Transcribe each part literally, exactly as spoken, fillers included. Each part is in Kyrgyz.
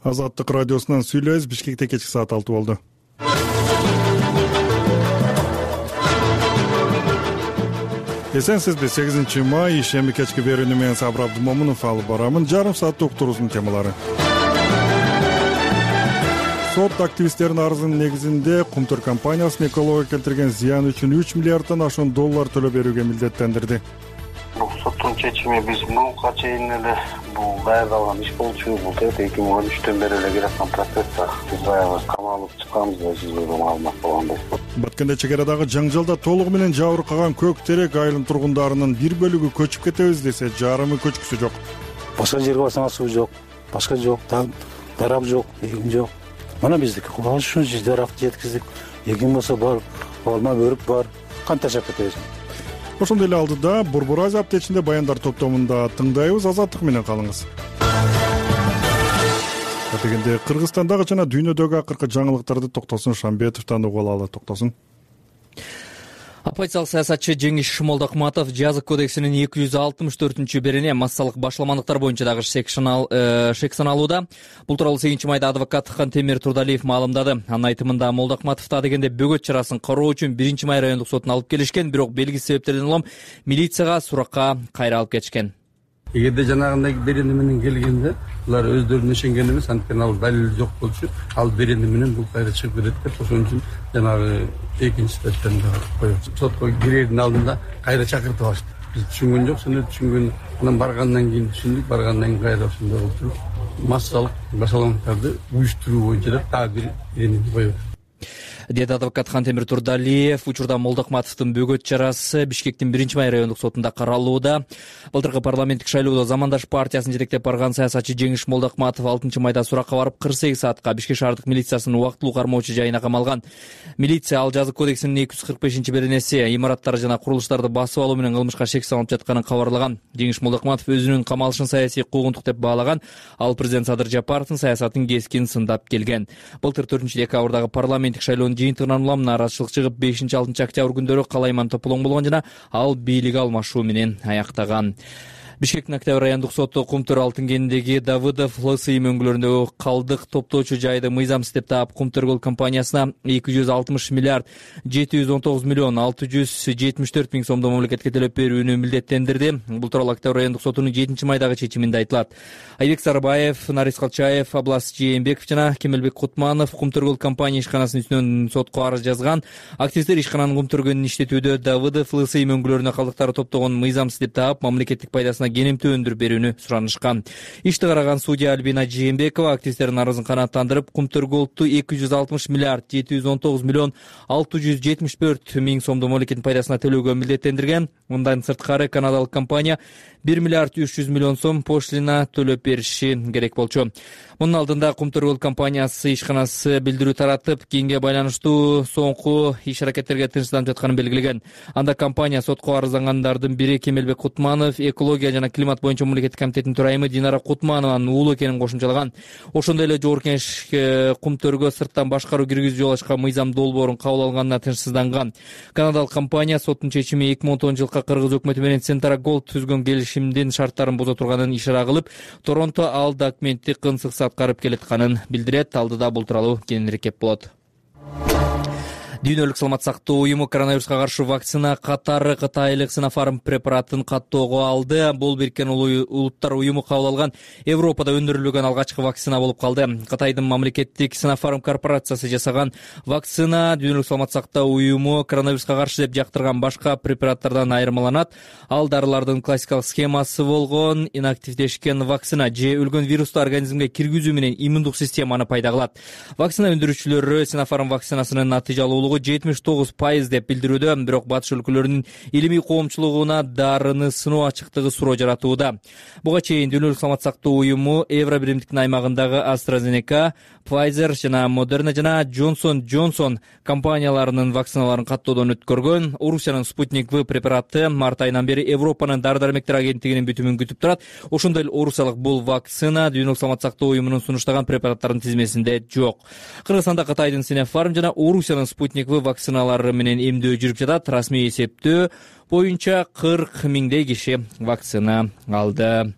Азаттык радиосунан сүйлөбүз. Бишкекте кечки саат алты болду. Эсенсизби? сегизинчи май ишемби кечки берүүнү менен Сабыр Абдымомунов алып барамын. Жарым сааттык уктуруубуздун темалары. Сот активисттердин арызынын негизинде Кумтөр компаниясынын экологияга келтирген зыян үчүн үч миллиарддан ашуун доллар төлөп берүүгө милдеттендирди. Соттун чечими биз мурунка чейин эле бул даярдалган иш болчу. Бул эки миң он үчтөн бери эле келаткан процесс. Биз баягы камалып чыкканбыз да сизге маалымат болгондой. Баткенде чек арадагы жаңжалда толугу менен жабыркаган Көк Терек айылынын тургундарынын бир бөлүгү көчүп кетебиз десе, жарымы көчкүсү жок. Башка жерге барсаңар суу жок, башка жок, дарак жок, эгин жок. Мына биздики кубалыш үчүн же даракты жеткиздик. Эгин болсо бар, алма бөрүк бар. Кантип жашап кетебиз? Ошондой эле алдыда Борбор Азия аптечинде баяндар топтомунда тыңдайбыз. Азаттык менен калыңыз. Дегенде Кыргызстандагы жана дүйнөдөгү акыркы жаңылыктарды Токтосун Шамбетовдон угуп алалы. Токтосун. Оппозициялык саясатчы Жеңиш Молдокматов жазык кодексинин эки жүз алтымыш төртүнчү берине массалык башламандыктар боюнча дагы шек саналууда. Бул тууралуу сегизинчи майда адвокат Кантемир Турдалиев маалымдады. Анын айтымында Молдокматов дегенде бөгөт чарасын кароо үчүн биринчи май райондук сотуна алып келишкен, бирок белгисиз себептерден улам милицияга суракка кайра алып кетишкен. Эгерде жанагындай берене менен келгенде булар өздөрүнө ишенген эмес, анткени ал далил жок болчу, ал берене менен бул кайра чыгып кетет деп, ошон үчүн жанагы экинчи статьяны коюп сотко кирердин алдында кайра чакыртып алышты. Биз түшүнгөн жок, сен түшүнгөн, анан баргандан кийин түшүндүк, баргандан кийин кайра ошондой болуп туруп, массалык башаламдыктарды уюштуруу боюнча деп дагы бир беренени коюп деди адвокат Кантемир Турдалиев. Учурда Молдокматовдун бөгөт чарасы Бишкектин биринчи май райондук сотунда каралууда. Былтыркы парламенттик шайлоодо Замандаш партиясын жетектеп барган саясатчы Жеңиш Молдокматов алтынчы майда суракка барып кырк сегиз саатка Бишкек шаардык милициясынын убактылуу кармоочу жайына камалган. Милиция ал жазык кодексинин эки жүз кырк бешинчи беренеси имараттар жана курулуштарды басып алуу менен кылмышка шек салынып жатканын кабарлаган. Жеңиш Молдокматов өзүнүн камалышын саясий куугунтук деп баалаган. Ал президент Садыр Жапаровдун саясатын кескин сындап келген. Былтыр төртүнчү декабрдагы парламенттик шайлоонун жыйынтыгынан улам нааразычылык чыгып, бешинчи алтынчы октябрь күндөрү Калайман Тополоң болгон жана ал бийлик алмашуу менен аяктаган. Бишкектин Октябрь райондук соту Кумтөр алтын кенидеги Давыдов ЛСИ мөңгүлөрүндөгү калдык топтоочу жайды мыйзамсыз деп таап Кумтөр Көл компаниясына эки жүз алтымыш миллиард жети жүз он тогуз миллион алты жүз жетимиш төрт миң сомдо мамлекетке төлөп берүүнү милдеттендирди. Бул тууралуу Октябрь райондук сотунун жетинчи майдагы чечиминде айтылат. Айбек Сарбаев, Нарис Калчаев, Аблас Жээнбеков жана Кемелбек Кутманов Кумтөр Көл компания ишканасынын үстүнөн сотко арыз жазган. Активисттер ишкананын Кумтөргөнүн иштетүүдө Давыдов ЛСИ мөңгүлөрүнө калдыктарды топтогон мыйзамсыз деп таап, мамлекеттик пайдасына кенемтүү өндүрүп берүүнү суранышкан. Ишти караган судья Альбина Жээнбекова активисттердин арызын канааттандырып, Кумтөр Голдту эки жүз алтымыш миллиард жети жүз он тогуз миллион алты жүз жетимиш төрт миң сомдо мамлекеттин пайдасына төлөөгө милдеттендирген. Мындан сырткары канадалык компания бир миллиард үч жүз миллион сом пошлина төлөп бериши керек болчу. Мунун алдында Кумтөр Көл компаниясы ишканасы билдирүү таратып, кийинге байланыштуу соңку иш аракеттерге тынчсызданып жатканын белгилеген. Анда компания сотко арыздангандардын бири Кемелбек Кутманов, экология жана климат боюнча мамлекеттик комитеттин төрайымы Динара Кутманованын уулу экенин кошумчалаган. Ошондой эле Жогорку Кеңеш Кумтөргө сырттан башкаруу киргизүү жол ачкан мыйзам долбоорун кабыл алганына тынчсызданган. Канадалык компания соттун чечими эки миң он тогузунчу жылкы Кыргыз өкмөтү менен Центра Голд түзгөн келишимдин шарттарын буза турганын ишара кылып, Торонто ал документти кынсыксыз аткарып келатканын билдирет. Алдыда бул тууралуу кененирээк кеп болот. Дүйнөлүк саламаттык сактоо уюму коронавируска каршы вакцина катары кытайлык Sinopharm препаратын каттоого алды. Бул Бириккен Улуттар уюму кабыл алган Европада өндүрүлгөн алгачкы вакцина болуп калды. Кытайдын мамлекеттик Sinopharm корпорациясы жасаган вакцина Дүйнөлүк саламаттык сактоо уюму коронавируска каршы деп жактырган башка препараттардан айырмаланат. Ал дарылардын классикалык схемасы болгон инактивдешкен вакцина же өлгөн вирусту организмге киргизүү менен иммундук системаны пайда кылат. Вакцина өндүрүүчүлөрү Sinopharm вакцинасынын натыйжалуулугу жетимиш тогуз пайыз деп билдирүүдө, бирок батыш өлкөлөрүнүн илимий коомчулугуна дарыны сыноо ачыктыгы суроо жаратууда. Буга чейин Дүйнөлүк саламаттык сактоо уюму Евро биримдиктин аймагындагы AstraZeneca, Pfizer жана Moderna жана Johnson Johnson компанияларынын вакциналарын каттоодон өткөргөн. Орусиянын Sputnik V препараты март айынан бери Европанын дары-дармектер агенттигинин бүтүмүн күтүп турат. Ошондой эле орусиялык бул вакцина Дүйнөлүк саламаттык сактоо уюмунун сунуштаган препараттардын тизмесинде жок. Кыргызстанда Кытайдын Sinopharm жана Орусиянын Sputnik V вакциналары менен эмдөө жүрүп жатат. Расмий эсептөө боюнча кырк миңдей киши вакцина алды.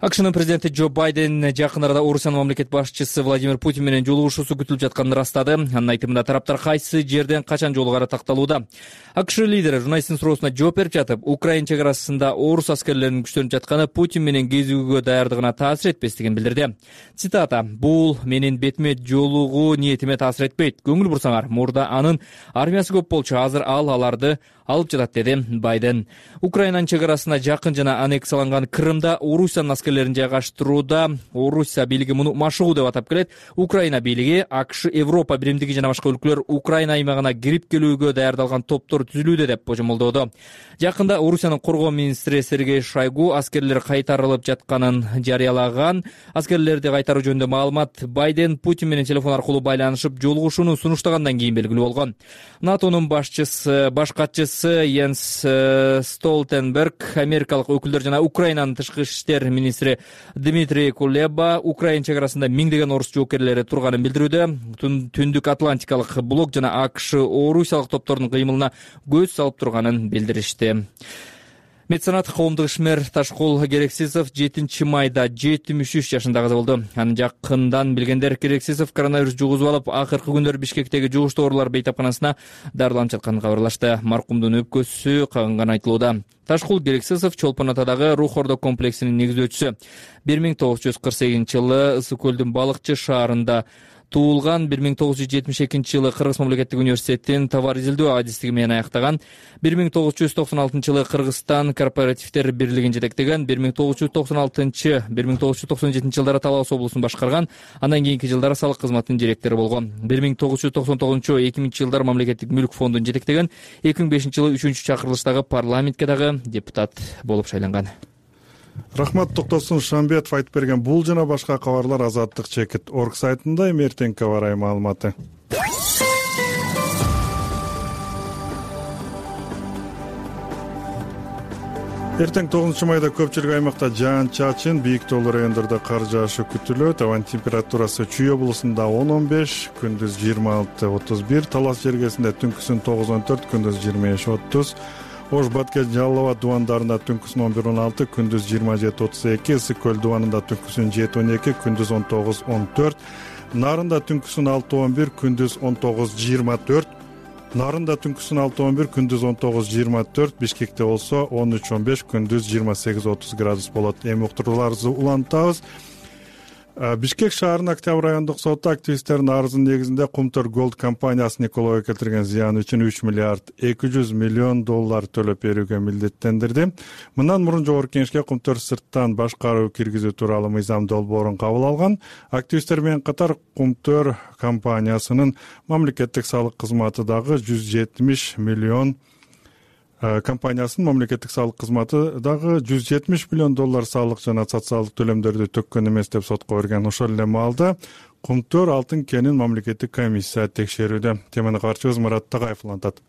акшнын президенти Джо Байден жакын арада Орусиянын мамлекет башчысы Владимир Путин менен жолугушуусу күтүлүп жатканын ырастады. Анын айтымында тараптар кайсы жерден качан жолугары такталууда. АКШ лидери журналисттин суроосуна жооп берип жатып, Украина чек арасында орус аскерлеринин күчтөнүп жатканы Путин менен кезүүгө даярдыгына таасир этпестигин билдирди. Цитата: "Бул менин бетиме жолугуу ниетиме таасир этпейт. Көңүл бурсаңар, мурда анын армиясы көп болчу, азыр ал аларды алып жатат", деди Байден. Украинанын чек арасына жакын жана аннексияланган Крымда Орусиянын аскерлерин жайгаштырууда Орусия бийлиги муну машыгуу деп атап келет. Украина бийлиги АКШ, Европа биримдиги жана башка өлкөлөр Украина аймагына кирип келүүгө даярдалган топтор түзүлүүдө деп божомолдоодо. Жакында Орусиянын коргоо министри Сергей Шойгу аскерлер кайтарылып жатканын жарыялаган. Аскерлерди кайтаруу жөнүндө маалымат Байден Путин менен телефон аркылуу байланышып жолугушууну сунуштагандан кийин белгилүү болгон. НАТОнун башчысы, баш катчысы Йенс Столтенберг, америкалык өкүлдөр жана Украинанын тышкы иштер министри Дмитрий Кулеба Украина чек арасында миңдеген орус жоокерлери турганын билдирүүдө. Түндүк Атлантикалык блок жана АКШ орусиялык топтордун кыймылына көз салып турганын билдиришти. Меценат коомдук ишмер Ташкул Керексисов жетинчи майда жетимиш үч жашында каза болду. Аны жакындан билгендер Керексисов коронавирус жугузуп алып, акыркы күндөр Бишкектеги жугуштуу оорулар бейтапканасына дарыланып жатканын кабарлашты. Маркумдун өпкөсү кагынганы айтылууда. Ташкул Керексисов Чолпон Атадагы Рух Ордо комплексинин негиздөөчүсү. бир миң тогуз жүз кырк сегизинчи жылы Ысык көлдүн Балыкчы шаарында туулган. бир миң тогуз жүз жетимиш экинчи жылы Кыргыз мамлекеттик университетин товар изилдөө адистиги менен аяктаган. бир миң тогуз жүз токсон алтынчы жылы Кыргызстан кооперативдер бирлигин жетектеген. бир миң тогуз жүз токсон алтынчы — бир миң тогуз жүз токсон жетинчи жылдары Талас облусун башкарган. Андан кийинки жылдары салык кызматынын директору болгон. бир миң тогуз жүз токсон тогузунчу — эки миңинчи жылдары мамлекеттик мүлк фондун жетектеген. эки миң бешинчи жылы үчүнчү чакырылыштагы парламентке дагы депутат болуп шайланган. Рахмат Токтосун Шамбетов айтып берген бул жана башка кабарлар Азаттык чекит орг сайтында. Эми эртеңки кабар маалыматы. Эртең тогузунчу майда көпчүлүк аймакта жаан-чачын, бийик тоолуу райондордо кар жаашы күтүлөт. Абанын температурасы Чүй облусунда он он беш, күндүз жыйырма алты отуз бир, Талас жергесинде түнкүсүн тогуз он төрт, күндүз жыйырма беш отуз, Ош Баткен Жалал Абад дубандарында түнкүсүн он бир он алты, күндүз жыйырма жети отуз эки, Ысык көл дубанында түнкүсүн жети он эки, күндүз он тогуз он төрт, Нарында түнкүсүн алты он бир, күндүз он тогуз жыйырма төрт, Нарында түнкүсүн алты он бир, күндүз он тогуз жыйырма төрт, Бишкекте болсо он үч он беш, күндүз жыйырма сегиз отуз градус болот. Эми уктурууларыбызды улантабыз. Бишкек шаарынын Октябрь райондук соту активисттердин арызынын негизинде Кумтөр Голд компаниясынын экологияга келтирген зыяны үчүн үч миллиард эки жүз миллион доллар төлөп берүүгө милдеттендирди. Мындан мурун жогорку кеңешке Кумтөр сырттан башкаруу киргизүү тууралуу мыйзам долбоорун кабыл алган. Активисттер менен катар Кумтөр компаниясынын мамлекеттик салык кызматы дагы жүз жетимиш миллион компаниясынын мамлекеттик салык кызматы дагы жүз жетимиш миллион доллар салык жана социалдык төлөмдөрдү төккөн эмес деп сотко берген. Ошол эле маалда Кумтөр алтын кенин мамлекеттик комиссия текшерүүдө. Теманы кабарчыбыз Мурат Тагаев улантат.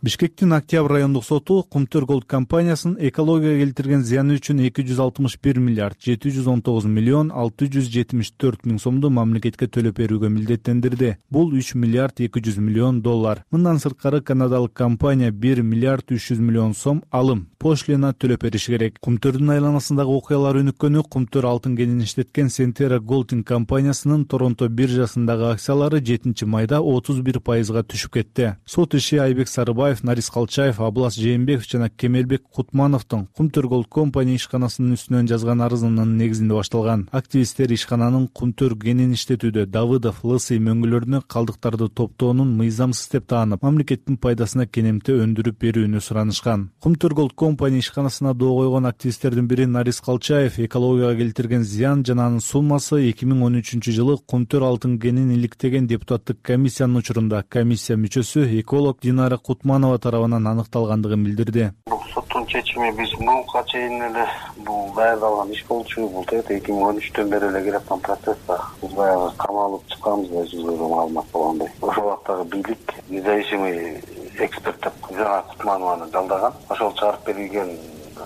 Бишкектин Октябрь райондук соту Кумтөр Голд компаниясынын экологияга келтирген зыяны үчүн эки жүз алтымыш бир миллиард жети жүз он тогуз миллион алты жүз жетимиш төрт миң сомду мамлекетке төлөп берүүгө милдеттендирди. Бул үч миллиард эки жүз миллион доллар. Мындан сырткары канадалык компания бир миллиард үч жүз миллион сом алым, пошлина төлөп бериши керек. Кумтөрдүн айланасындагы окуялар өнүккөнү Кумтөр алтын кенин иштеткен Сентера Голдинг компаниясынын Торонто биржасындагы акциялары жетинчи майда отуз бир пайызга түшүп кетти. Сот иши Айбек Сарыбаев, Нарис Калчаев, Аблас Жээнбеков жана Кемелбек Кутмановдун Кумтөр Голд компания ишканасынын үстүнөн жазган арызынын негизинде башталган. Активисттер ишкананын Кумтөр кенин иштетүүдө Давыдов, Лысый мөңгүлөрүнө калдыктарды топтоонун мыйзамсыз деп таанып, мамлекеттин пайдасына кенемте өндүрүп берүүнү суранышкан. Кумтөр Голд компания ишканасына доо койгон активисттердин бири Нарис Калчаев экологияга келтирген зыян жана анын суммасы эки миң он үчүнчү жылы Кумтөр алтын кенин иликтеген депутаттык комиссиянын учурунда комиссия мүчөсү эколог Динара Кутманова тарабынан аныкталгандыгын билдирди. Бул соттун чечими биз буга чейин эле бул даярдалган иш болчу. Бул эки миң он үчтөн бери эле келаткан процесс да. Биз баягы камалып чыкканбыз да, жүзгө маалымат болгондой. Ошол убактагы бийлик независимый эксперт деп Динара Кутманованы жалдаган. Ошол чыгарып берилген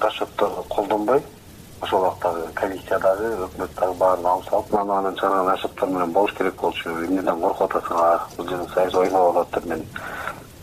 расчетторду колдонбой, ошол убактагы комиссиядагы, өкмөттөгү баарын алып салып, анан чыгарган расчеттор менен болуш керек болчу. Эмнеден коркуп атасың? Бул жерде саясий ойлоп алат деп мен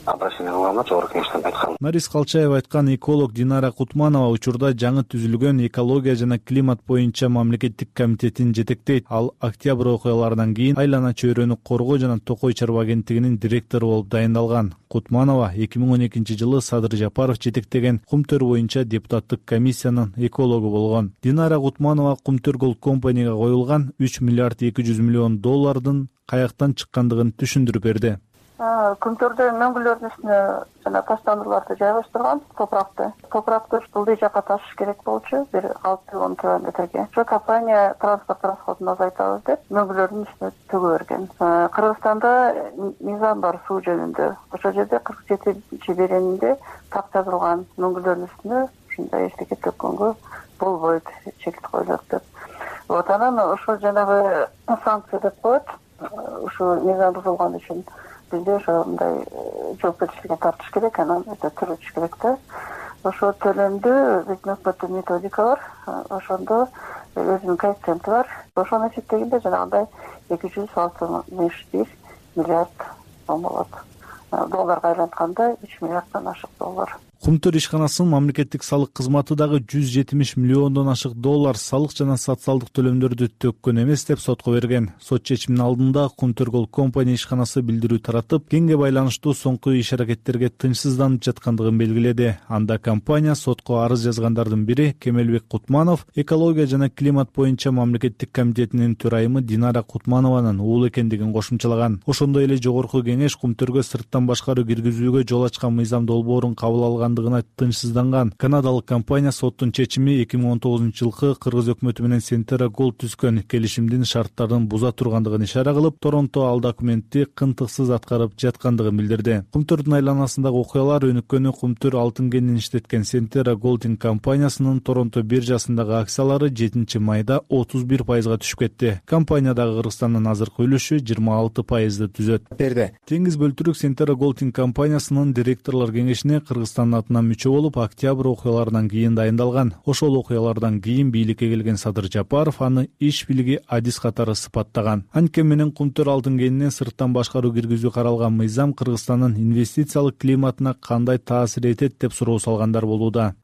обращение кылганга жогорку кеңештен айткан. Нарис Калчаева айткан эколог Динара Кутманова учурда жаңы түзүлгөн экология жана климат боюнча мамлекеттик комитетин жетектейт. Ал октябрь окуяларынан кийин айлана чөйрөнү коргоо жана Токой чарба агенттигинин директору болуп дайындалган. Кутманова эки миң он экинчи жылы Садыр Жапаров жетектеген Кумтөр боюнча депутаттык комиссиянын экологу болгон. Динара Кутманова Кумтөр Gold Company'га коюлган үч миллиард эки жүз миллион доллардын каяктан чыккандыгын түшүндүрүп берди. Күмтөрдө мөңгүлөрдүн үстүнө жана таштандырууларды жайгаштырган топуракты. Топуракты ылдый жакка ташыш керек болчу, бир алты он километрге. Ошо компания транспорт расходун азайтабыз деп мөңгүлөрдүн үстүнө төгө берген. Кыргызстанда мыйзам бар суу жөнүндө. Ошол жерде кырк жетинчи беренинде так жазылган мөңгүлөрдүн үстүнө ушундай эчтеке төккөнгө болбойт, чекит коюлат деп. Вот анан ошол жанагы санкция деп коет. Ушул мыйзам бузулган үчүн бизде ошондой жоопкерчиликке тартыш керек, анан өтө төрөтүш керек да. Ошо төлөмдү биздин өкмөттүн методика бар, ошондо өзүнүн коэффициенти бар. Ошону эсептегенде жанагындай эки жүз алтымыш бир миллиард сом болот. Долларга айлантканда үч миллиарддан ашык доллар. Кумтөр ишканасынын мамлекеттик салык кызматы дагы жүз жетимиш миллиондон ашык доллар салык жана социалдык төлөмдөрдү төккөн эмес деп сотко берген. Сот чечиминин алдында Кумтөр Gold Company ишканасы билдирүү таратып, кеңге байланыштуу соңку иш-аракеттерге тынчсызданып жаткандыгын белгиледи. Анда компания сотко арыз жазгандардын бири Кемелбек Кутманов, экология жана климат боюнча мамлекеттик комитетинин төрайымы Динара Кутманованын уулу экендигин кошумчалаган. Ошондой эле жогорку кеңеш Кумтөргө сырттан башкаруу киргизүүгө жол ачкан мыйзам долбоорун кабыл алган тынчсызданган. Канадалык компания соттун чечими эки миң он тогузунчу жылкы Кыргыз өкмөтү менен Сентера Gold түзгөн келишимдин шарттарын буза тургандыгын ишара кылып, Торонто ал документти кынтыксыз аткарып жаткандыгын билдирди. Кумтөрдүн айланасындагы окуялар өнүккөнү Кумтөр алтын кенин иштеткен Сентера Gold компаниясынын Торонто биржасындагы акциялары жетинчи майда отуз бир пайызга түшүп кетти. Компаниядагы Кыргызстандын азыркы үлүшү жыйырма алты пайызды түзөт. Теңиз бөлтүрүк Сентера Gold компаниясынын директорлор кеңешине Кыргызстандын атынан мүчө болуп, октябрь окуяларынан кийин дайындалган. Ошол окуялардан кийин бийликке келген Садыр Жапаров аны иш билиги адис катары сыпаттаган. Анткени менен Кумтөр алтын кенинен сырттан башкаруу киргизүү каралган мыйзам Кыргызстандын инвестициялык климатына кандай таасир этет деп суроо салгандар болууда.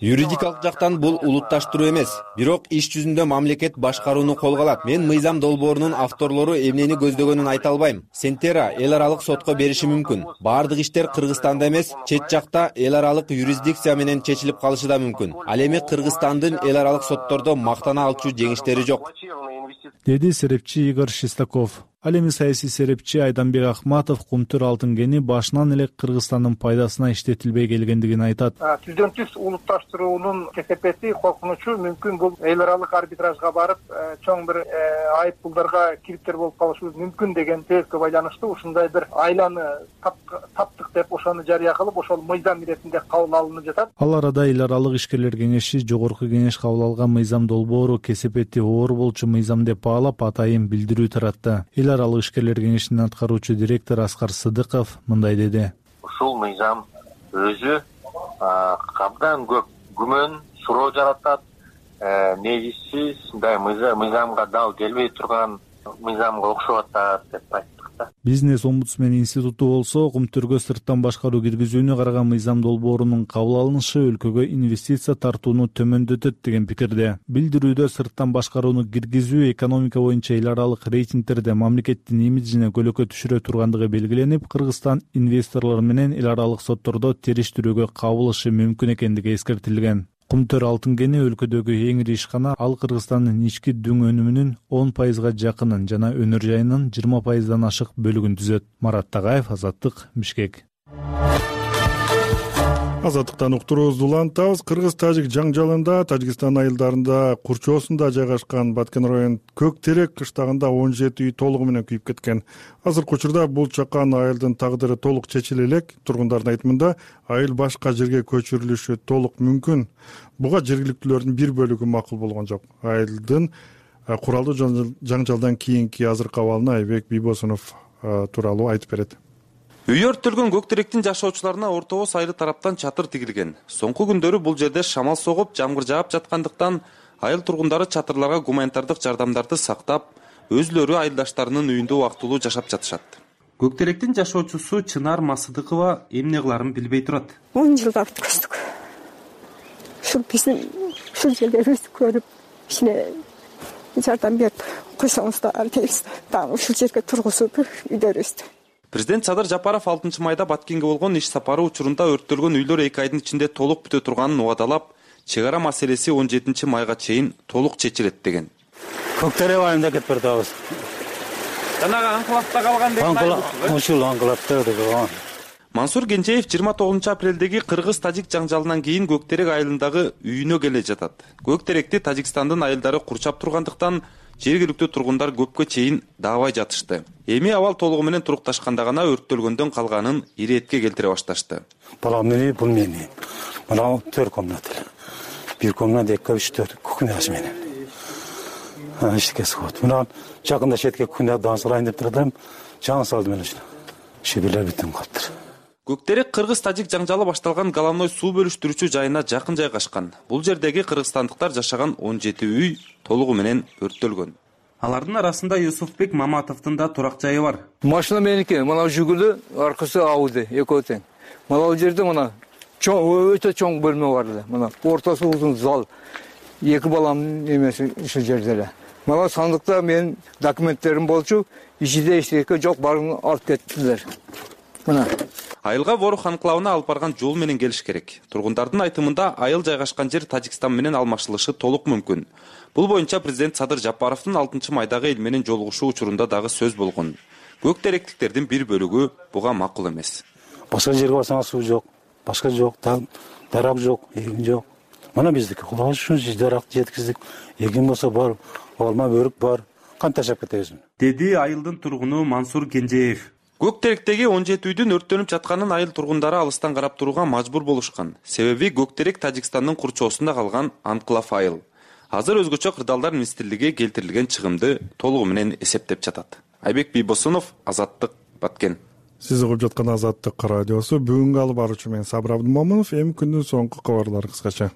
Юридикалык жактан бул улутташтыруу эмес, бирок иш жүзүндө мамлекет башкарууну колго алат. Мен мыйзам долбоорунун авторлору эмнени көздөгөнүн айта албайм. Сентера эл аралык сотко бериши мүмкүн. Баардык иштер Кыргызстанда эмес, чет жакта эл аралык юрисдикция менен чечилип калышы да мүмкүн. Ал эми Кыргызстандын эл аралык соттордо мактана алчу жеңиштери жок, деди серепчи Игорь Шестаков. Ал эми саясий серепчи Айданбек Ахматов Кумтөр алтын кени башынан эле Кыргызстандын пайдасына иштетилбей келгендигин айтат. Түздөн түз улутташтыруунун кесепети, коркунучу мүмкүн бул эл аралык арбитражга барып, чоң бир айып пулдарга кириптер болуп калышы мүмкүн деген сөзгө байланыштуу ушундай бир айланы таптык деп ошону жарыя кылып, ошол мыйзам иретинде кабыл алынып жатат. Ал арада эл аралык ишкерлер кеңеши жогорку кеңеш кабыл алган мыйзам долбоору кесепети оор болчу мыйзам деп баалап, атайын билдирүү таратты. Эл аралык ишкерлер кеңешинин аткаруучу директор Аскар Сыдыков мындай деди. Ушул мыйзам өзү абдан көп күмөн, суроо жаратат, негизсиз мындай мыйзамга дал келбей турган мыйзамга окшоп атат деп айттык да. Бизнес омбудсмен институту болсо Кумтөргө сырттан башкаруу киргизүүнү караган мыйзам долбоорунун кабыл алынышы өлкөгө инвестиция тартууну төмөндөтөт деген пикирде. Билдирүүдө сырттан башкарууну киргизүү экономика боюнча эл аралык рейтингтерде мамлекеттин имиджине көлөкө түшүрө тургандыгы белгиленип, Кыргызстан инвесторлор менен эл аралык соттордо териштирүүгө кабылышы мүмкүн экендиги эскертилген. Кумтөр алтын кени өлкөдөгү эң ири ишкана, ал Кыргызстандын ички дүң өнүмүнүн он пайызга жакынын жана өнөр жайынын жыйырма пайыздан ашык бөлүгүн түзөт. Марат Тагаев, Азаттык, Бишкек. Азаттыктан уктуруубузду улантабыз. Кыргыз-тажик жаңжалында Тажикстан айылдарында курчоосунда жайгашкан Баткен район Көк Терек кыштагында он жети үй толугу менен күйүп кеткен. Азыркы учурда бул чакан айылдын тагдыры толук чечиле элек. Тургундардын айтымында айыл башка жерге көчүрүлүшү толук мүмкүн. Буга жергиликтүүлөрдүн бир бөлүгү макул болгон жок. Айылдын куралдуу жаңжалдан кийинки азыркы абалына Айбек Бийбосунов тууралуу айтып берет. Үй өрттөлгөн Көк Теректин жашоочуларына ортобоз айры тараптан чатыр тигилген. Соңку күндөрү бул жерде шамал согуп, жамгыр жаап жаткандыктан айыл тургундары чатырларга гуманитардык жардамдарды сактап, өзүлөрү айылдаштарынын үйүндө убактылуу жашап жатышат. Көк теректин жашоочусу Чынар Масыдыкова эмне кыларын билбей турат. он жылга өткөздүк. Ушул биздин ушул жерлерибизди көрүп, ичине жардам берип койсоңуздар дейбиз. Дагы ушул жерге тургузуп үйлөрүбүздү. Президент Садыр Жапаров алтынчы майда Баткенге болгон иш сапары учурунда өрттөлгөн үйлөр эки айдын ичинде толук бүтө турганын убадалап, чек ара маселеси он жетинчи майга чейин толук чечилет деген. Көк тере айында кетип бардыбыз. Жанагы анклавда калган деген. Ушул анклавда калган. Мансур Кенжеев жыйырма тогузунчу апрелдеги кыргыз-тажик жаңжалынан кийин Көк терек айылындагы үйүнө келе жатат. Көк теректи Тажикстандын айылдары курчап тургандыктан жергиликтүү тургундар көпкө чейин даабай жатышты. Эми абал толугу менен турукташканда гана өрттөлгөндөн калганын иретке келтире башташты. Балам мени, бул мени. Мына төрт комната. Бир комната, эки, үч, төрт кухнясы менен. Ишке сыгат. Мына жакында шетке кухня дансырайын деп турдум. Жаңы салдым эле ушуну. Шебелер бүтүн калыптыр. Көк терек кыргыз-тажик жаңжалы башталган головной суу бөлүштүрүүчү жайына жакын жайгашкан. Бул жердеги кыргызстандыктар жашаган он жети үй толугу менен өрттөлгөн. Алардын арасында Юсуфбек Маматовдун да турак жайы бар. Машина меники, мына жүгүлү, аркасы Ауди, экөө тең. Мына бул жерде мына чоң, өтө чоң бөлмө бар эле. Мына ортасы узун зал. Эки баламдын эмеси ушул жерде эле. Мына сандыкта менин документтерим болчу, ичинде эчтеке жок, баарын алып кеттилер. Мына Айылга Ворух анклавына алып барган жол менен келиш керек. Тургундардын айтымында айыл жайгашкан жер Тажикстан менен алмашылышы толук мүмкүн. Бул боюнча президент Садыр Жапаровдун алтынчы майдагы эл менен жолугушуу учурунда дагы сөз болгон. Көк теректиктердин бир бөлүгү буга макул эмес. Башка жерге барсаңар суу жок, башка жок, дарак жок, эгин жок. Мына биздики кулабыз ушул даракты жеткиздик. Эгин болсо бар, алма бөрүк бар. Кантип жашап кетебиз? Деди айылдын тургуну Мансур Кенжеев. Көк теректеги он жети үйдүн өрттөнүп жатканын айыл тургундары алыстан карап турууга мажбур болушкан. Себеби Көк терек Тажикстандын курчоосунда калган анклав айыл. Азыр өзгөчө кырдаалдар министрлиги келтирилген чыгымды толугу менен эсептеп жатат. Айбек Бийбосунов, Азаттык, Баткен. Сиз угуп жаткан Азаттык радиосу. Бүгүнкү алып баруучу мен Сабыр Абдымомунов. Эми күндүн соңку кабарлары кыскача.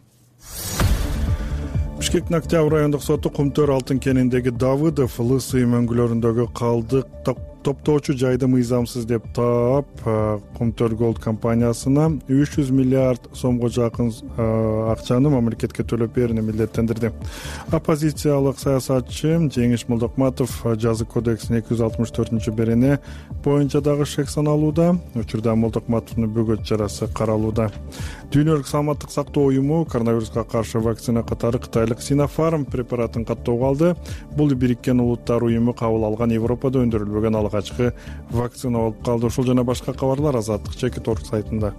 Бишкектин Октябрь райондук соту Кумтөр алтын кениндеги Давыдов Лысый мөңгүлөрүндөгү калдык топтоочу жайды мыйзамсыз деп таап, Кумтөр Голд компаниясына үч жүз миллиард сомго жакын акчаны мамлекетке төлөп берүүнү милдеттендирди. Оппозициялык саясатчы Жеңиш Молдокматов жазык кодексинин эки жүз алтымыш төртүнчү берени боюнча дагы шек саналууда. Учурда Молдокматовдун бөгөт чарасы каралууда. Дүйнөлүк саламаттык сактоо уюму коронавируска каршы вакцина катары кытайлык Sinopharm препаратын каттоого алды. Бул Бириккен Улуттар уюму кабыл алган Европада өндүрүлбөгөн алгачкы вакцина болуп калды. Ушул жана башка кабарлар Азаттык чекит орг сайтында.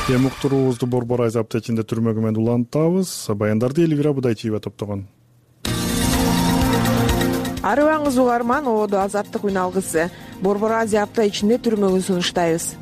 Эми уктуруубузду Борбор Айз аптечинде түрмөгү менен улантабыз. Баяндарды Элвира Будайчиева топтогон. Арыбаңыз угарман, ободу Азаттык үн алгысы. Борбор Азия апта ичинде түрмөгүн сунуштайбыз.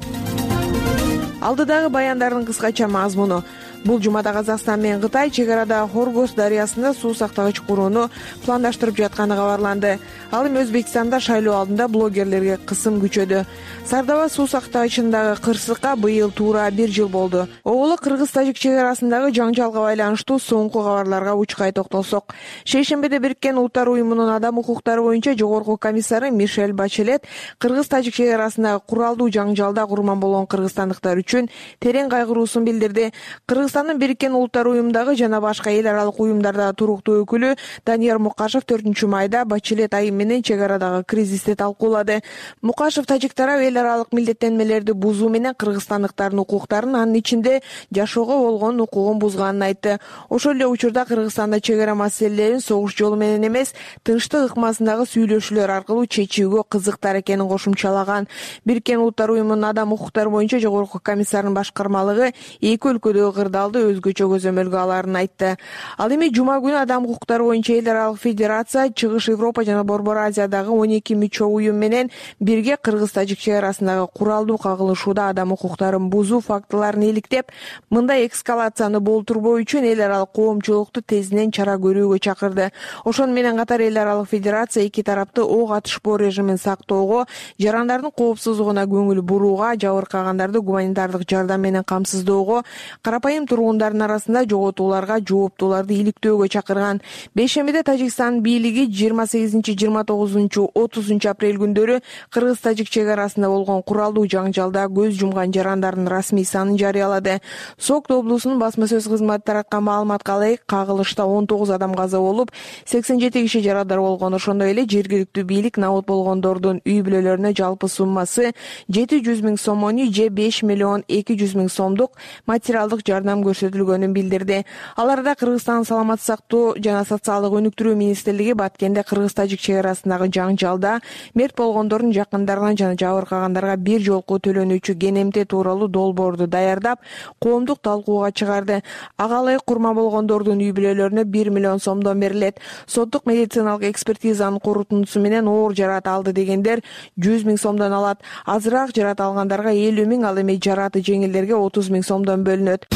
Алдыдагы баяндардын кыскача мазмуну. Бул жумада Казакстан менен Кытай чек арадагы Хоргос дарыясында суу сактагыч курууну пландаштырып жатканы кабарланды. Ал эми Өзбекстанда шайлоо алдында блогерлерге кысым күчөдү. Сардаба суу сактагычындагы кырсыкка быйыл туура бир жыл болду. Оголо Кыргыз-Тажик чек арасындагы жаңжалга байланыштуу соңку кабарларга учкай токтолсок, шейшембиде Бириккен Улуттар уюмунун адам укуктары боюнча жогорку комиссары Мишель Бачелет Кыргыз-Тажик чек арасындагы куралдуу жаңжалда курман болгон кыргызстандыктар үчүн терең кайгыруусун билдирди. Кыргызстандын Бириккен Улуттар уюмундагы жана башка эл аралык уюмдардагы туруктуу өкүлү Данияр Мукашев төртүнчү майда Бачелет айым менен чек арадагы кризисти талкуулады. Мукашев тажик тарап эл аралык милдеттенмелерди бузуу менен кыргызстандыктардын укуктарын, анын ичинде жашоого болгон укугун бузганын айтты. Ошол эле учурда Кыргызстанда чек ара маселелерин согуш жолу менен эмес, тынчтык ыкмасындагы сүйлөшүүлөр аркылуу чечүүгө кызыктар экенин кошумчалаган. Бириккен Улуттар уюмунун адам укуктары боюнча жогорку комиссарынын башкармалыгы эки өлкөдөгү кырдаалды өзгөчө көзөмөлгө аларын айтты. Ал эми жума күнү адам укуктары боюнча эл аралык федерация, Чыгыш Европа жана Борбор Азиядагы он эки мүчө уюм менен бирге Кыргыз-Тажик чек арасындагы куралдуу кагылышууда адам укуктарын бузуу фактыларын иликтеп, мындай эскалацияны болтурбоо үчүн эл аралык коомчулукту тезинен чара көрүүгө чакырды. Ошону менен катар эл аралык федерация эки тарапты ок атышпоо режимин сактоого, жарандардын коопсуздугуна көңүл бурууга, жабыркагандарды гуманитардык жардам менен камсыздоого, карапайым айрым тургундардын арасында жоготууларга жооптууларды иликтөөгө чакырган. Бейшембиде Тажикстан бийлиги жыйырма сегизинчи жыйырма тогузунчу отузунчу апрель күндөрү Кыргыз-Тажик чек арасында болгон куралдуу жаңжалда көз жумган жарандардын расмий санын жарыялады. Сокт облусунун басма сөз кызматы тараткан маалыматка ылайык, кагылышта он тогуз адам каза болуп, сексен жети киши жарадар болгон. Ошондой эле жергиликтүү бийлик набыт болгондордун үй бүлөлөрүнө жалпы суммасы жети жүз миң сомону же беш миллион эки жүз миң сомдук материалдык жардам көрсөтүлгөнүн билдирди. Аларда Кыргызстан саламаттык сактоо жана социалдык өнүктүрүү министрлиги Баткенде Кыргыз-Тажик чек арасындагы жаңжалда мерт болгондордун жакындарына жана жабыркагандарга бир жолку төлөнүүчү кенемте тууралуу долбоорду даярдап, коомдук талкууга чыгарды. Ага ылайык курма болгондордун үй бүлөлөрүнө бир миллион сомдон берилет. Соттук медициналык экспертизанын корутундусу менен оор жарат алды дегендер жүз миң сомдон алат. Азыраак жарат алгандарга элүү миң, ал эми жараты жеңилдерге отуз миң сомдон бөлүнөт.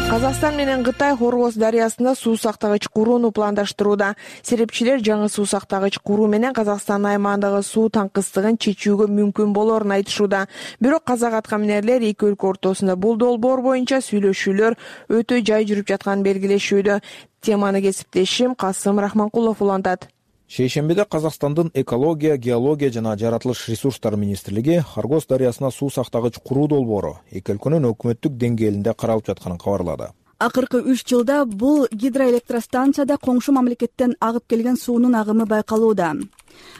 Казакстан менен Кытай Хоргоз дарыясында суу сактагыч курууну пландаштырууда. Серепчилер жаңы суу сактагыч куруу менен Казакстан аймагындагы суу таңкыстыгын чечүүгө мүмкүн болоорун айтышууда. Бирок казак аткаминерлер эки өлкө ортосунда бул долбоор боюнча сүйлөшүүлөр өтө жай жүрүп жатканын белгилешүүдө. Теманы кесиптешим Касым Рахманкулов улантат. Шейшембиде Казакстандын экология, геология жана жаратылыш ресурстары министрлиги Хоргоз дарыясына суу сактагыч куруу долбоору эки өлкөнүн өкмөттүк деңгээлинде каралып жатканын кабарлады. Акыркы үч жылда бул гидроэлектростанцияда коңшу мамлекеттен агып келген суунун агымы байкалууда.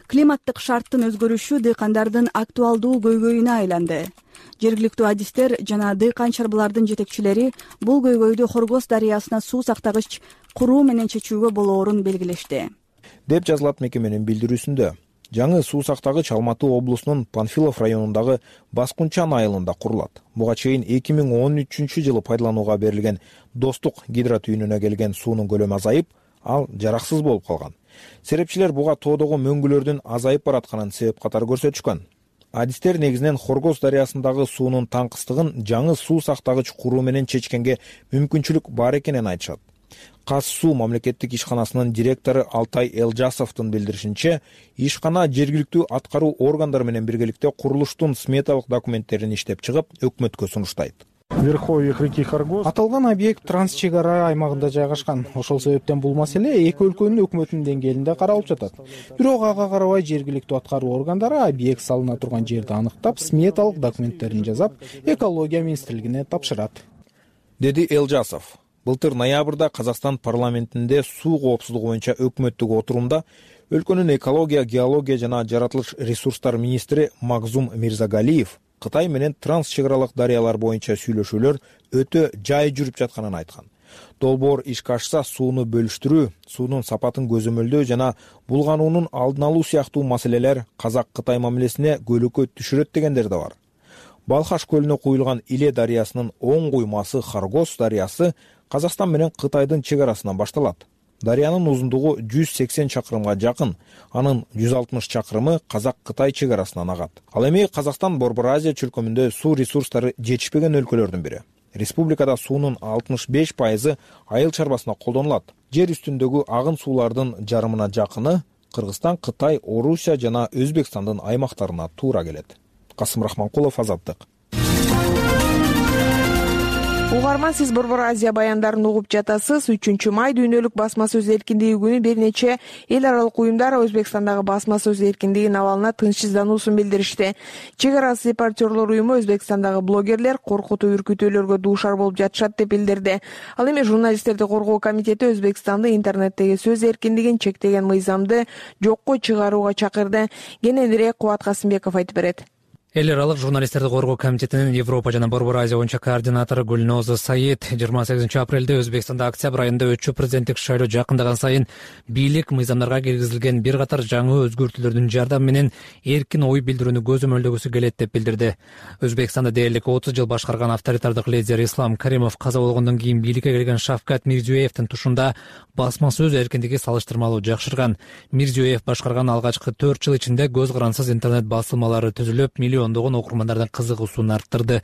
Климаттык шарттын өзгөрүшү дыйкандардын актуалдуу көйгөйүнө айланды. Жергиликтүү адистер жана дыйкан чарбылардын жетекчилери бул көйгөйдү Хоргоз дарыясына суу сактагыч куруу менен чечүүгө болоорун белгилешти. Деп жазылат мекеменин билдирүүсүндө. Жаңы суу сактагыч Алматы облусунун Панфилов районундагы Баскунчан айылында курулат. Буга чейин эки миң он үчүнчү жылы пайдаланууга берилген Достук гидротүйүнүнө келген суунун көлөмү азайып, ал жараксыз болуп калган. Серепчилер буга тоодогу мөңгүлөрдүн азайып баратканын себеп катары көрсөтүшкөн. Адистер негизинен Хоргоз дарыясындагы суунун таңкыстыгын жаңы суу сактагыч куруу менен чечкенге мүмкүнчүлүк бар экенин айтышат. Каз суу мамлекеттик ишканасынын директору Алтай Элжасовдун билдиришинче, ишкана жергиликтүү аткаруу органдары менен биргеликте курулуштун сметалык документтерин иштеп чыгып, өкмөткө сунуштайт. Верховьях реки Хоргоз. Аталган объект транс чек ара аймагында жайгашкан. Ошол себептен бул маселе эки өлкөнүн өкмөтүнүн деңгээлинде каралып жатат. Бирок ага карабай жергиликтүү аткаруу органдары объект салына турган жерди аныктап, сметалык документтерин жасап, экология министрлигине тапшырат, деди Элжасов. Былтыр ноябрда Казакстан парламентинде суу коопсуздугу боюнча өкмөттүк отурумда өлкөнүн экология, геология жана жаратылыш ресурстар министри Магзум Мирзагалиев Кытай менен транс чек аралык дарыялар боюнча сүйлөшүүлөр өтө жай жүрүп жатканын айткан. Долбоор ишке ашса, сууну бөлүштүрүү, суунун сапатын көзөмөлдөө жана булгануунун алдын алуу сыяктуу маселелер Казак-Кытай мамилесине көйгөй түшүрөт дегендер да бар. Балхаш көлүнө куюлган Иле дарыясынын оң куймасы Хоргоз дарыясы Казакстан менен Кытайдын чек арасынан башталат. Дарыянын узундугу жүз сексен чакырымга жакын, анын жүз алтымыш чакырымы Казак-Кытай чек арасынан агат. Ал эми Казакстан Борбор Азия чөлкөмүндө суу ресурстары жетишпеген өлкөлөрдүн бири. Республикада суунун алтымыш беш пайызы айыл чарбасына колдонулат. Жер үстүндөгү агын суулардын жарымына жакыны Кыргызстан, Кытай, Орусия жана Өзбекстандын аймактарына туура келет. Касым Рахманкулов, Азаттык. Угарман, сиз Борбор Азия баяндарын угуп жатасыз. үчүнчү май дүйнөлүк басма сөз эркиндиги күнү бир нече эл аралык уюмдар Өзбекстандагы басма сөз эркиндигинин абалына тынчсыздануусун билдиришти. Чек арасы репортерлор уюму Өзбекстандагы блогерлер коркутуу үркүтүүлөргө дуушар болуп жатышат деп билдирди. Ал эми журналисттерди коргоо комитети Өзбекстанды интернеттеги сөз эркиндигин чектеген мыйзамды жокко чыгарууга чакырды. Кененирээк Кубат Касымбеков айтып берет. Эл аралык журналисттерди коргоо комитетинин Европа жана Борбор Азия боюнча координатору Гүлноз Саид жыйырма сегизинчи апрелде Өзбекстанда октябрь айында өтчү президенттик шайлоо жакындаган сайын бийлик мыйзамдарга киргизилген бир катар жаңы өзгөртүүлөрдүн жардамы менен эркин ой билдирүүнү көзөмөлдөгүсү келет деп билдирди. Өзбекстанды дээрлик отуз жыл башкарган авторитардык лидер Ислам Каримов каза болгондон кийин бийликке келген Шавкат Мирзиёевдин тушунда басма сөз эркиндиги салыштырмалуу жакшырган. Мирзиёев башкарган алгачкы төрт жыл ичинде көз карансыз интернет басылмалары түзүлүп, миллион миллиондогон окурмандардын кызыгуусун арттырды.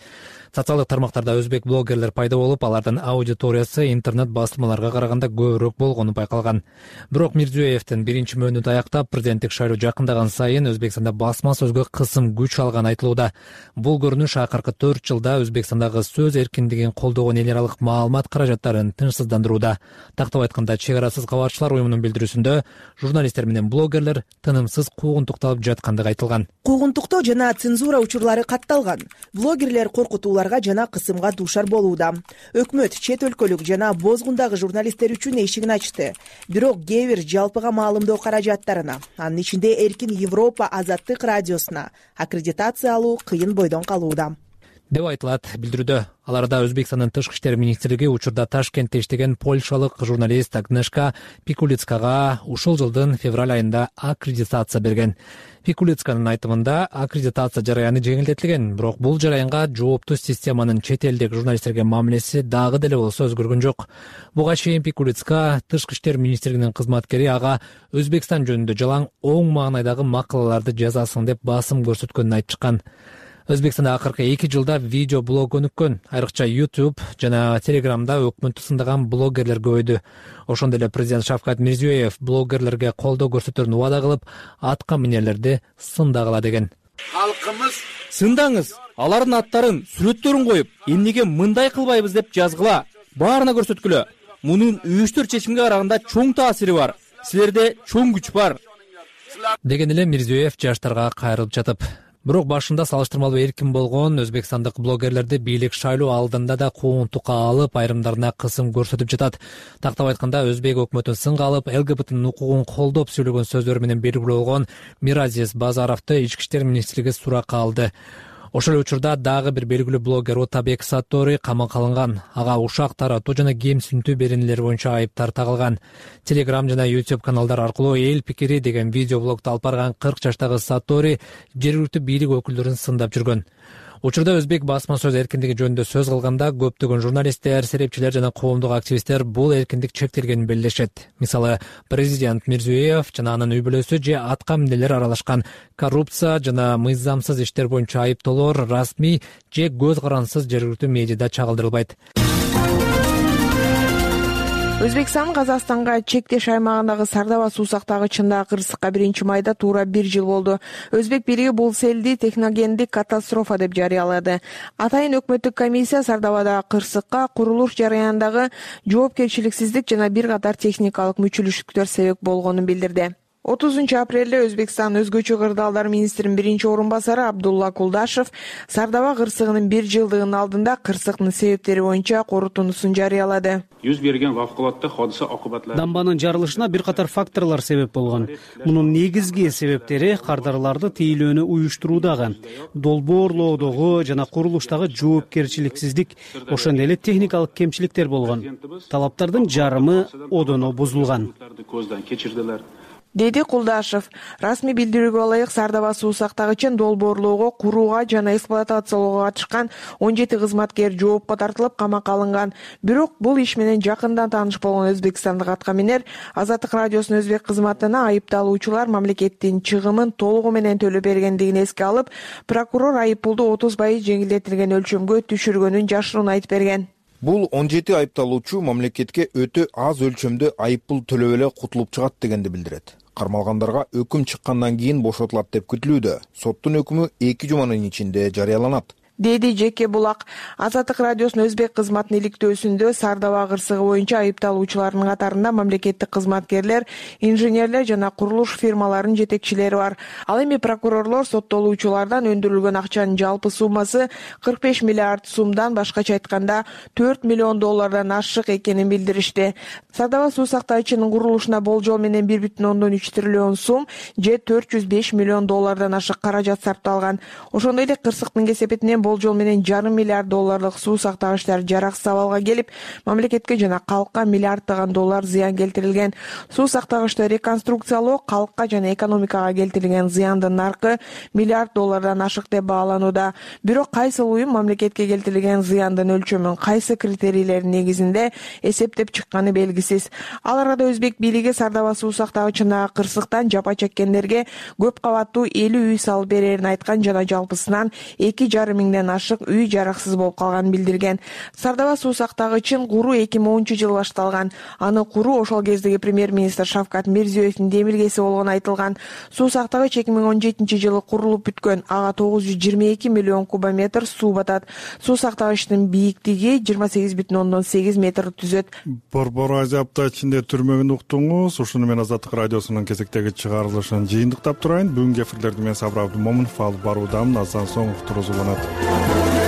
Социалдык тармактарда өзбек блогерлер пайда болуп, алардын аудиториясы интернет басылмаларга караганда көбүрөөк болгону байкалган. Бирок Мирзиёевдин биринчи мөөнөтү аяктап, президенттик шайлоо жакындаган сайын Өзбекстанда басма сөзгө кысым күч алганы айтылууда. Бул көрүнүш акыркы төрт жылда Өзбекстандагы сөз эркиндигин колдогон эл аралык маалымат каражаттарын тынчсыздандырууда. Тактап айтканда, чек арасыз кабарчылар уюмунун билдирүүсүндө журналисттер менен блогерлер тынымсыз куугунтукталып жаткандыгы айтылган. Куугунтуктоо жана цензура учурлары катталган. Блогерлер коркутууларга жана кысымга дуушар болууда. Өкмөт чет өлкөлүк жана бозгундагы журналисттер үчүн эшигин ачты. Бирок кээ бир жалпыга маалымдоо каражаттарына, анын ичинде Эркин Европа Азаттык радиосуна аккредитация алуу кыйын бойдон калууда деп айтылат билдирүүдө. Аларда Өзбекстандын тышкы иштер министрлиги учурда Ташкентте иштеген польшалык журналист Агнешка Пикулицкага ушул жылдын февраль айында аккредитация берген. Пикулицканын айтымында аккредитация жараяны жеңилдетилген, бирок бул жараянга жооптуу системанын чет элдик журналисттерге мамилеси дагы деле болсо өзгөргөн жок. Буга чейин Пикулицка тышкы иштер министрлигинин кызматкери ага Өзбекстан жөнүндө жалаң оң маанайдагы макалаларды жазасың деп басым көрсөткөнүн айтып чыккан. Өзбекстанда акыркы эки жылда видео блог өнүккөн, айрыкча YouTube жана Telegramда өкмөттү сындаган блогерлер көбөйдү. Ошондой эле президент Шавкат Мирзиёев блогерлерге колдоо көрсөтөрүн убада кылып, атка минерлерди сындагыла деген. Халкымыз Сындаңыз, алардын аттарын, сүрөттөрүн коюп, эмнеге мындай кылбайбыз деп жазгыла. Баарына көрсөткүлө. Мунун үйүштөр чечимге караганда чоң таасири бар. Силерде чоң күч бар деген эле Мирзиёев жаштарга кайрылып жатып. Бирок башында салыштырмалуу эркин болгон өзбекстандык блогерлерди бийлик шайлоо алдында да куугунтукка алып, айрымдарына кысым көрсөтүп жатат. Тактап айтканда, өзбек өкмөтүн сынга алып, ЛГБТнын укугун колдоп сөйлөгөн сөздөрү менен белгилүү болгон Миразиз Базаровду ички иштер министрлиги суракка алды. Ошол эле учурда дагы бир белгилүү блогер Отабек Саттори камакка алынган. Ага ушак таратуу жана кемсинтүү беренелери боюнча айыптар тагылган. Telegram жана YouTube каналдар аркылуу эл пикири деген видеоблогду алып барган кырк жаштагы Саттори жергиликтүү бийлик өкүлдөрүн сындап жүргөн. Учурда өзбек басма сөз эркиндиги жөнүндө сөз кылганда көптөгөн журналисттер, серепчилер жана коомдук активисттер бул эркиндик чектелгенин белгилешет. Мисалы, президент Мирзиёев жана анын үй бүлөсү же атка минелер аралашкан коррупция жана мыйзамсыз иштер боюнча айыптоолор расмий же көз карансыз жергиликтүү медиада чагылдырылбайт. Өзбекстан Казакстанга чектеш аймагындагы Сардаба суусактагычындагы кырсыкка биринчи майда туура бир жыл болду. Өзбек бийлиги бул селди техногендик катастрофа деп жарыялады. Атайын өкмөттүк комиссия Сардабадагы кырсыкка курулуш жараянындагы жоопкерчиликсиздик жана бир катар техникалык мүчүлүштүктөр себеп болгонун билдирди. отузунчу апрелде Өзбекстан өзгөчө кырдаалдар министринин биринчи орун басары Абдулла Кулдашев Сардаба кырсыгынын бир жылдыгынын алдында кырсыктын себептери боюнча корутундусун жарыялады. Жүз берген вавкулатта hodisa окубатлары. Дамбанын жарылышына бир катар факторлор себеп болгон. Мунун негизги себептери кардарларды тейлөөнү уюштуруудагы, долбоорлоодогу жана курулуштагы жоопкерчиликсиздик, ошондой эле техникалык кемчиликтер болгон. Талаптардын жарымы одоно бузулган деди Кулдашев. Расмий билдирүүгө ылайык, Сардаба суусактагычын долбоорлоого, курууга жана эксплуатациялоого катышкан он жети кызматкер жоопко тартылып, камакка алынган. Бирок бул иш менен жакындан тааныш болгон өзбекстандык аткаминер Азаттык радиосунун өзбек кызматына айыпталуучулар мамлекеттин чыгымын толугу менен төлөп бергендигин эске алып, прокурор айыппулду отуз пайыз жеңилдетилген өлчөмгө түшүргөнүн жашыруун айтып берген. Бул он жети айыпталуучу мамлекетке өтө аз өлчөмдө айыппул төлөп эле кутулуп чыгат дегенди билдирет. Кармалгандарга өкүм чыккандан кийин бошотулат деп күтүлүүдө. Соттун өкүмү эки жуманын ичинде жарыяланат, деди Жеке Булак. Азаттык радиосунун өзбек кызматынын иликтөөсүндө Сардаба кырсыгы боюнча айыпталуучулардын катарында мамлекеттик кызматкерлер, инженерлер жана курулуш фирмаларынын жетекчилери бар. Ал эми прокурорлор соттолуучулардан өндүрүлгөн акчанын жалпы суммасы кырк беш миллиард сумдан, башкача айтканда төрт миллион доллардан ашык экенин билдиришти. Сардаба суусактагычынын курулушуна болжол менен бир бүтүн ондон үч триллион сум же төрт жүз беш миллион доллардан ашык каражат сарпталган. Ошондой эле кырсыктын кесепетинен болжол менен жарым миллиард долларлык суу сактагычтар жараксыз абалга келип, мамлекетке жана калкка миллиарддаган доллар зыян келтирилген. Суу сактагычты реконструкциялоо калкка жана экономикага келтирилген зыяндын наркы миллиард доллардан ашык деп бааланууда. Бирок кайсыл уюм мамлекетке келтирилген зыяндын өлчөмүн кайсы критерийлердин негизинде эсептеп чыкканы белгисиз. Ал арада өзбек бийлиги Сардаба суу сактагычындагы кырсыктан жапа чеккендерге көп кабаттуу элүү үй салып берерин айткан жана жалпысынан эки жарым миңден ашык үй жараксыз болуп калганын билдирген. Сардаба суу сактагычын куруу эки миң онунчу жылы башталган. Аны куруу ошол кездеги премьер-министр Шавкат Мирзиёевдин демилгеси болгону айтылган. Суу сактагыч эки миң он жетинчи жылы курулуп бүткөн. Ага тогуз жүз жыйырма эки миллион кубометр суу батат. Суу сактагычтын бийиктиги жыйырма сегиз бүтүн ондон сегиз метр түзөт. Борбор Азия апта ичинде түрмөгүн уктуңуз. Ушуну менен Азаттык радиосунун кезектеги чыгарылышын жыйынтыктап турайын. Бүгүнкү эфирлерди мен Сабыр Абдымомунов алып баруудамын. Аздан соң уктуруңуз уланат.